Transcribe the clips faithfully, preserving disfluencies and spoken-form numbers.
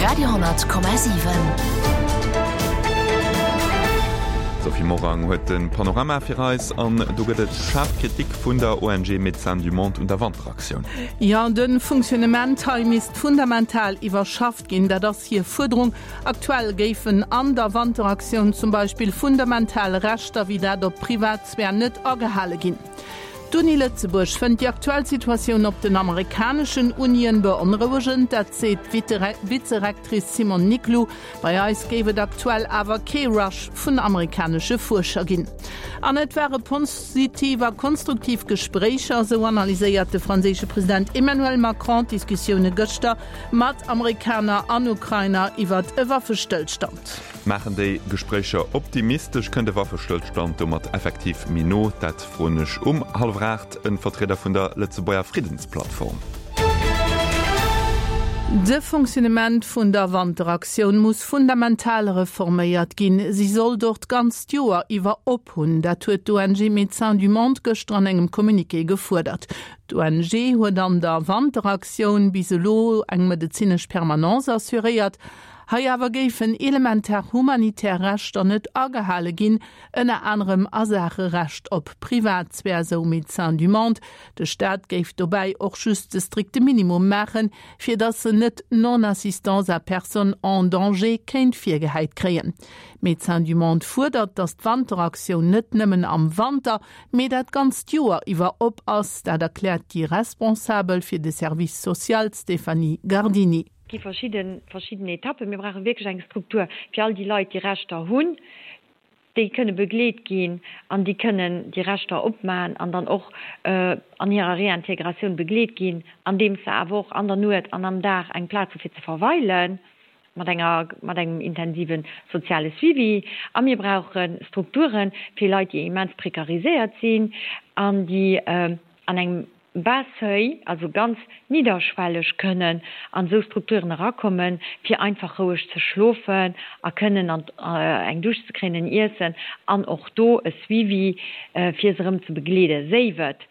Radio honnert Komma siwen. D'Sophie Morang huet de Panorama fir eis an do gëtt et schaarf Kritik vun der O N G Médecins du Monde un der Wanteraktioun. Jo, de Fonctionnement hei misst fundamental iwwerschafft ginn, dat ass hir Fuerderung. Aktuell géifen an der Wanteraktioun zum Beispill fundamental Rechter wéi dat op Privatsphär net agehale ginn. D'Uni Lëtzebuerg fënnt déi aktuell Situatioun op den amerikaneschen Unien beonrouegend, dat seet d'Vizerectrice Simone Niclou. Bei eis géif et aktuell awer kee Rush vun amerikanesche Fuerscher ginn. An et ware positiv a konstruktiv Gespréicher, esou analyséiert de franséische President Emmanuel Macron d'Diskussioune gëschter mat Amerikaner an Ukrainer iwwert e Waffestëllstand. Maachen déi Gespréicher optimistesch? Kënnt de Waffestëllstand domat effektiv méi no? Dat froen ech um hallwer aacht e Vertrieder vun der Lëtzebuerger Friddensplattform. De Fonctionnement vun der Wanteraktioun muss fundamental reforméiert ginn. Si soll dort d'ganzt Joer iwwer op hunn. Dat huet d'O N G Médecins du Monde gëschter an engem Communiqué gefuerdert. D'O N G huet an der Wanteraktioun bis elo eng medezinesch Permanence assuréiert. Hei awer géifen elementar humanitär Rechter net agehale ginn, ënner anerem a Saache Recht op Privatsphär, sou Médecins du Monde. De Staat géif dobäi och just de strikte Minimum maachen, fir datt se net Non-assistance à personne en danger kéint virgehäit kréien. Médecins du Monde fuerdert, datt d'Wanteraktioun net nëmmen am Wanter, mee dat ganzt Joer iwwer op ass, dat erkläert déi Responsabel fir de Service social Stéphanie Gardini. Gi verschidden verschidden Etappen. Mir brauche wierklech eng Struktur fir all déi Leit, déi Rechter hunn, déi kënne begleet ginn an déi kënnen déi Rechter opmaen an dann och an hirer Réintégratioun begleet ginn, andeems se awer och an der Nuet an am Dag eng Plaz hu fir ze verweilen, mat enger mat engem intensive soziale Suivi. A mir brauche Strukture fir Leit, déi immens prekariséiert sinn an déi an engem bas seuil, also ganz nidderschwelleg kënnen an esou Strukturen erakommen, fir einfach roueg ze schlofen a kënnen an eng Dusch ze kréien, en Iessen an och do e Suivi, fir se erëm ze begleeden, séif et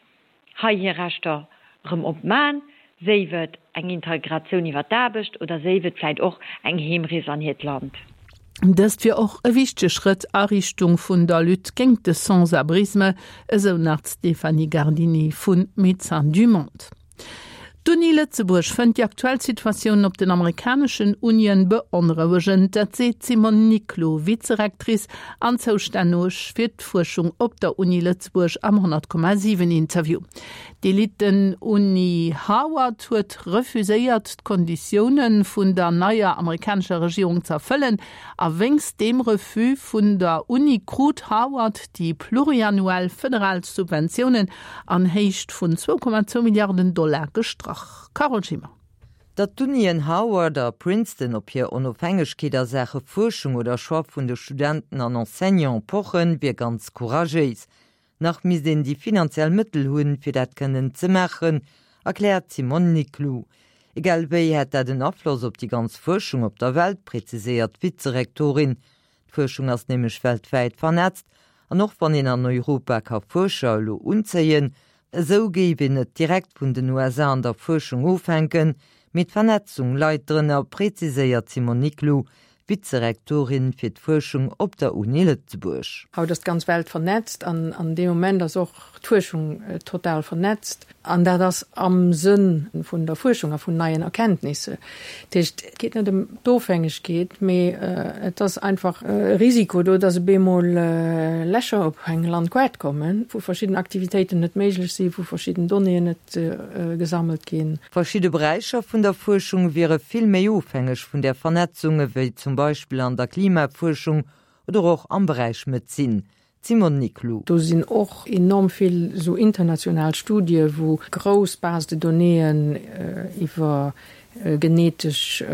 hei hir Rechter erëm opmaen, séif et eng Integratioun iwwer d'Aarbecht oder séif et vläicht och eng Heemrees an hiert Land. Dëst wier och e wichtege Schrëtt a Richtung vun der Lutte géint de Sans-abrisme, esou nach d'Stéphanie Gardini vu Médecins du Monde. D'Uni Lëtzebuerg fënnt déi aktuell Situatioun op den amerikaneschen Unien beonrouegend. Dat seet d'Simone Niclou, Vizerectrice an zoustänneg fir d'Fuerschung op der Uni Lëtzebuerg am honnert Komma siwen Interview. D'Eliten-Uni Harvard huet refuséiert, d'Konditioune vun der neier amerikanescher Regierung ze erfëllen. A wéinst deem Refus vun der Uni krut Harvard déi pluriannuell federal Subventiounen an Héicht vun zwou Komma zwou Milliarden Dollar gestrach. Carole Schimmer. Datt d'Unien Harvard a Princeton op hir Onofhängegkeet a Saache Fuerschung oder Choix vun de Studenten an Enseignante pochen, wier ganz couragéis. Nach misst een déi finanziell Mëttel hunn, fir dat kënnen ze maachen, erkläert d'Simone Niclou. Egal wéi hätt dat en Afloss op déi ganz Fuerschung op der Welt, präziséiert d'Vizerektorin. D'Fuerschung ass nämlech weltwäit vernetzt an och wann een an Europa ka Fuerscher elo unzéien, esou géif een net direkt vun den U S A an der Fuerschung ofhänken, mee d'Vernetzung leit drënner, präziséiert d'Simone Niclou, Vizerektorin fir d'Fuerschung op der Uni Lëtzebuerg. Haut ass d'ganz Welt vernetzt an an deem Moment ass och d'Fuerschung total vernetzt an dat ass am Sënn vun der Fuerschung a vun neien Erkenntnisse. Dat heescht, et geet net ëm d'Ofhängegkeet, mee et ass einfach e Risiko do, dass op eemol Lächer op eng Landkaart kommen, wou verschidden Aktivitéiten net méiglech sinn, wou verschidden Donnéeën net gesammelt ginn. Verschidde Beräicher vun der Fuerschung wiere vill méi ofhängeg vun där Vernetzung ewéi zum Beispill an der Klimafuerschung oder och am Beräich Medezin. Simone Niclou. Do sinn och enorm vill esou international Studie wou grouss Base de donnéeën iwwer genetesch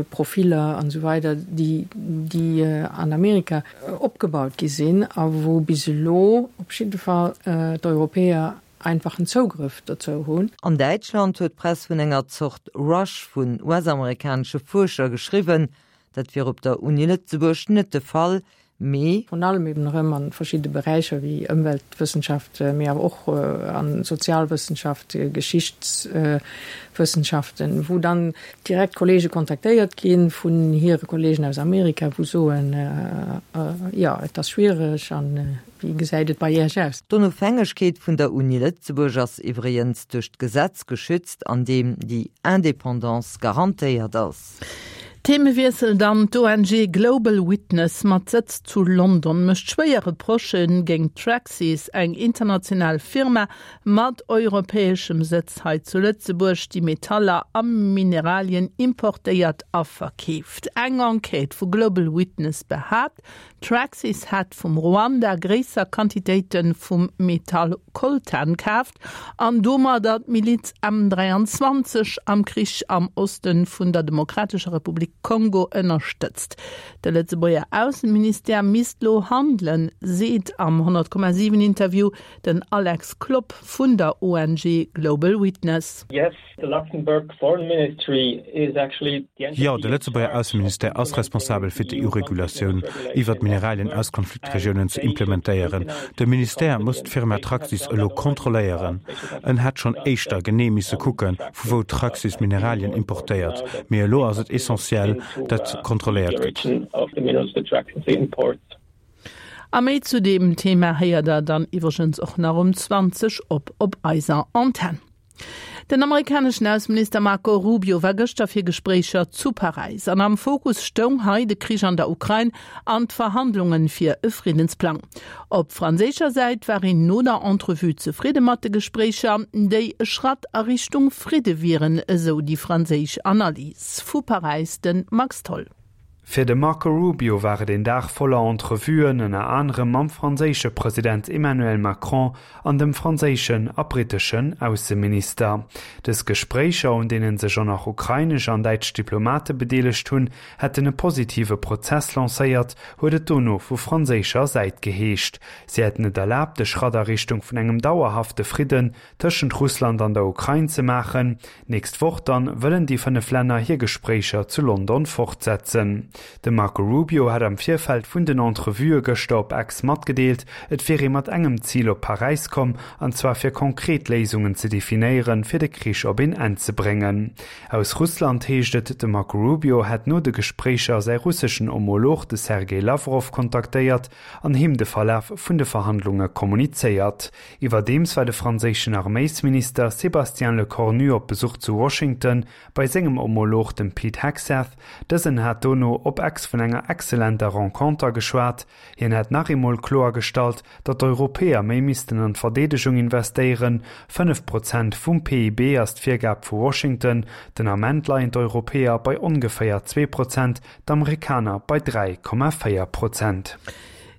Profiller an esou weider, déi déi an Amerika opgebaut gi sinn a wou bis elo op jidde Fall d'Europäer einfachen Zougrëff dozou hunn. An Däitschland huet d'Press vun enger Zort Rush vun U S-amerikanesche Fuerscher geschriwwen. Dat wier op der Uni Lëtzebuerg net de Fall, Mee. Virun allem eben erëm a verschidde Beräicher wéi Ëmweltwëssenschaft, mee awer och a Sozialwëssenschaft, Geschichtswëssenschaften, wou dann direkt Kollege kontaktéiert gi vun hire Kollegen aus Amerika, wou soen, jo, et ass schwiereg an wéi gesäit et bei Iech aus? D'Onofhängegkeet vun der Uni Lëtzebuerg ass iwwregens duerch d'Gesetz geschützt, an deem déi Indépendance garantéiert ass. Themewiessel dann, D'ONG Global Witness mat Sëtz zu London mécht schwéier Reprochë géint Traxys, eng international Firma mat europäeschem Sëtz hei zu Lëtzebuerg, déi Metaller a Mineralien importéiert a verkeeft. Eng Enquête vu Global Witness behaapt, Traxys hätt vum Ruanda gréisser Quantitéite vum Metall Coltan kaaft an domadder d'Miliz M dräianzwanzeg am Krich am Oste vun der Demokratescher Republik Kongo ënnerstëtzt. De Lëtzebuerger Ausseministère misst lo handelen, seet am honnert Komma siwen Interview den Alex Klopp vun der O N G Global Witness. Yes, the Luxembourg Foreign Ministry is actually the entity. Jo, de Lëtzebuerger Ausseministère ass responsabel fir d'E U-Regulatioun iwwert d'Mineralien aus Konfliktregiounen ze implementéieren. De Ministère muss d'Firma Traxys elo kontrolléieren. En hätt schonn éischter genee misse kucken, vu wou Traxys Mineralien importéiert. Mee elo ass et essentiell, datt kontrolléiert gëtt. A méi zu deem Thema héiert der dann iwwregens och nach um zwanzeg op op eiser Antenn. Den amerikaneschen Ausseminister Marco Rubio war gëschter fir Gespréicher zu Paräis an am Fokus stoung hei de Krich an der Ukrain an d'Verhandlunge fir e Friddensplang. Op franséischer Säit war een no der Entrevue zefridde mat de Gespréicher, déi e Schratt a Richtung Fridde wieren, esou déi franséisch Analys. Vu Paräis de Max Tholl. Fir de Marco Rubio war et een Dag voller Entrevuen, ënner anerem mam franséische President Emmanuel Macron an dem franséischen a britteschen Ausseminister. Dës Gespréicher, un deenen sech och nach ukrainesch an däitsch Diplomate bedeelegt hunn, hätten e positive Prozess lancéiert, huet et dono vu franséischer Säit geheescht. Si hätten et erlaabt, e Schratt a Richtung vun engem dauerhafte Fridden tëschent Russland an der Ukrain ze maachen. D'nächst Woch dann wëllen déi fënnef Länner hir Gespréicher zu London fortsetzen. De Marco Rubio hat am Virfeld vun den Entrevuë gëschter op X matgedeelt, et wier ee mat engem Zil op Paräis komm, an zwar fir konkret Léisungen ze definéieren, fir de Krich op een Enn ze bréngen. Aus Russland heescht et, de Marco Rubio hätt no de Gespréicher säi russeschen Homolog, de Sergej Lawrow, kontaktéiert an him de Verlaf vun de Verhandlunge kommunizéiert. Iwwerdeems war de franséischen Arméisminister Sébastien Lecornu op Besuch zu Washington bei sengem Homolog, dem Pete Hegseth. Dësen hat dono op X vun enger excellenter Renconter geschwat. Hien hätt nach eemol kloergestallt, datt d'Europäer méi missten an d'Verdeedegung investéieren. Fënnef Prozent vum P I B ass d'Virgab vu Washington. Den Ament leien d'Europäer bei ongeféier zwee Prozent, d'Amerikaner bei dräi Komma véier Prozent.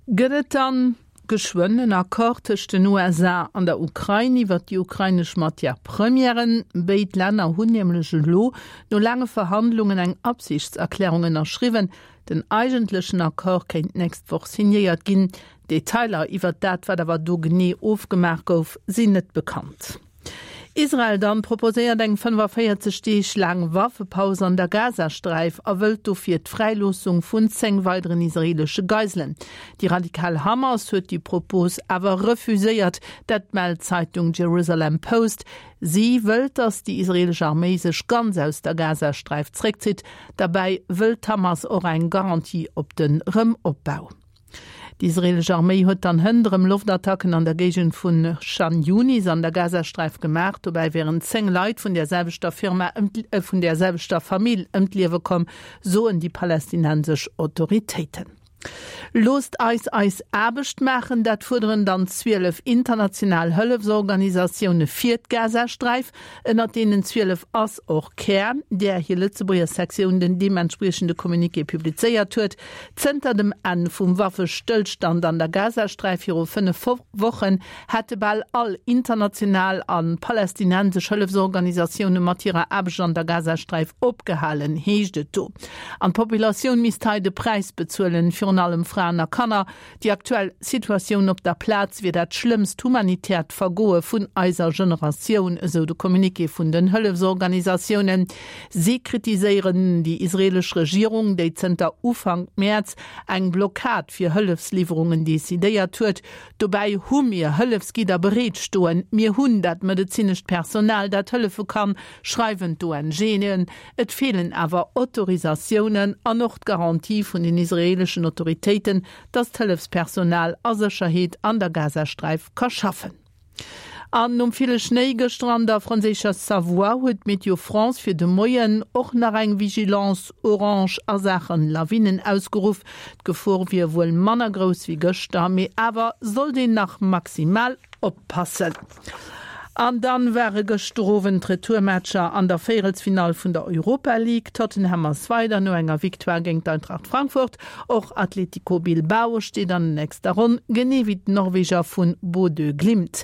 Gëtt et dann geschwënn en Accord tëscht den U S A an der Ukrain iwwer déi ukrainesch Matière-premièren? Béid Länner hunn nämlech elo no laange Verhandlungen eng Absichtserklärung ënnerschriwwen. Den eigentlechen Accord kéint d'nächst Woch signéiert ginn. Detailer iwwer dat, wat awer do genee ofgemaach gouf, sinn net bekannt. Israel dann proposéiert eng fënnefavéierzeg Deeg laang Waffepaus an der Gazasträif a wëllt dofir d'Fräiloossung vun zéng weideren israeelesche Geiselen. Déi radikal Hamas huet déi Propos awer refuséiert, dat mellt d'Zeitung Jerusalem Post. Si wëllt, datt déi israeelesch Arméi sech ganz aus der Gazasträif zréckzitt. Derbäi wëllt d'Hamas och eng Garantie op den Rëmopbau. D'israeelesch Arméi huet dann hënt erëm Loftattacken an der Géigend vun Chan Yunis an der Gazasträif gemaach. Dobäi wieren zéng Leit vun der selwechter Firma ëm vun der selwechter Famill ëm d'Liewe komm, soen déi palästinensesch Autoritéiten. Loosst eis eis Aarbecht maachen, dat fuerderen dann zwielef international Hëllefsorganisatioune fir d'Gazasträif. Ënnert deenen zwielef ass och Care, där hir Lëtzebuerger Sektioun den deementspriechende Communiqué publizéiert huet. Zënter dem Enn vum Waffestëllstand an der Gazasträif viru fënnef Wochen hätte bal all international a palästinensesch Hëllefsorganisatioune mat hirer Aarbecht an der Gazasträif opgehalen, heescht et do. An d'Populatioun misst hei de Präis bezuelen. virun allem Fraen a Kanner. Déi aktuell Situatioun op der Plaz wier dat schlëmmst humanitäert Vergoe vun eiser Generatioun, esou de Communiqué vun den Hëllefsorganisatiounen. Si kritiséieren déi israeelesch Regierung, déi zënter Ufank Mäerz eng Blockad fir Hëllefsliwwerungen decidéiert huet. Dobäi hu mir Hëllefsgidder bereet stoen. Mir hunn dat medezinescht Personal, dat hëllefe kann, schreiwen d'ONGen. Et feelen awer Autorisatiounen an och d'Garantie vun den israeeleschen Autoritéiten, datt d'Hëllefspersonal a Sécherheet an der Gazasträif ka schaffen. An nom ville Schnéi gëschter an der franséischer Savoie huet Météo France fir de Moien och nach eng Vigilance orange a Saachen Lawinen ausgeruff. D'Gefor wier wuel manner grouss wéi gëschter, mee awer sollt een nach maximal oppassen. An dann ware gëschter Owend d'Retourmatcher an der Véierelsfinall vun der Europa League. Tottenham ass weider no enger Victoire géint d'Eintracht Frankfurt. Och Atletico Bilbao steet an der nächster Ronn, genee wéi d'Norweger vun Bodø Glimt.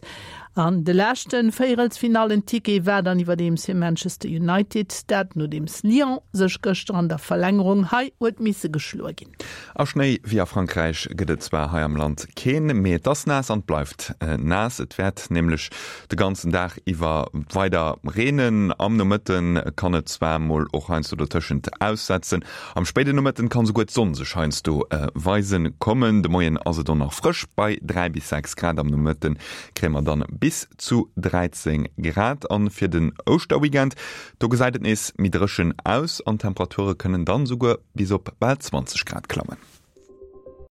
An de leschte Véierelsfinallen-Ticket war dann iwwerdeems fir Manchester United, dat nodeems Lyon sech gëschter an der Verlängerung hei huet misse geschloe ginn. A Schnéi wéi a Frankräich gëtt et zwar hei am Land keen, mee et ass naass an et bleift naass. Et wäert nämlech de ganzen Dag iwwer weider reenen. Am Nomëtte kann et zwar mol och heiansdo dotëschent aussetzen. Am spéiden Nomëtten kann souguer d'Sonn sech heiansdo weise kommen. De Moien ass et och nach frësch bei dräi bis sechs Grad, am Nomëtte kréie mer dann bis zu dräizéng Grad. An fir den Ouschterweekend, do gesäit et nees méi dréchen aus an d'Temperature kënnen dann souguer bis op bal zwanzeg Grad klammen.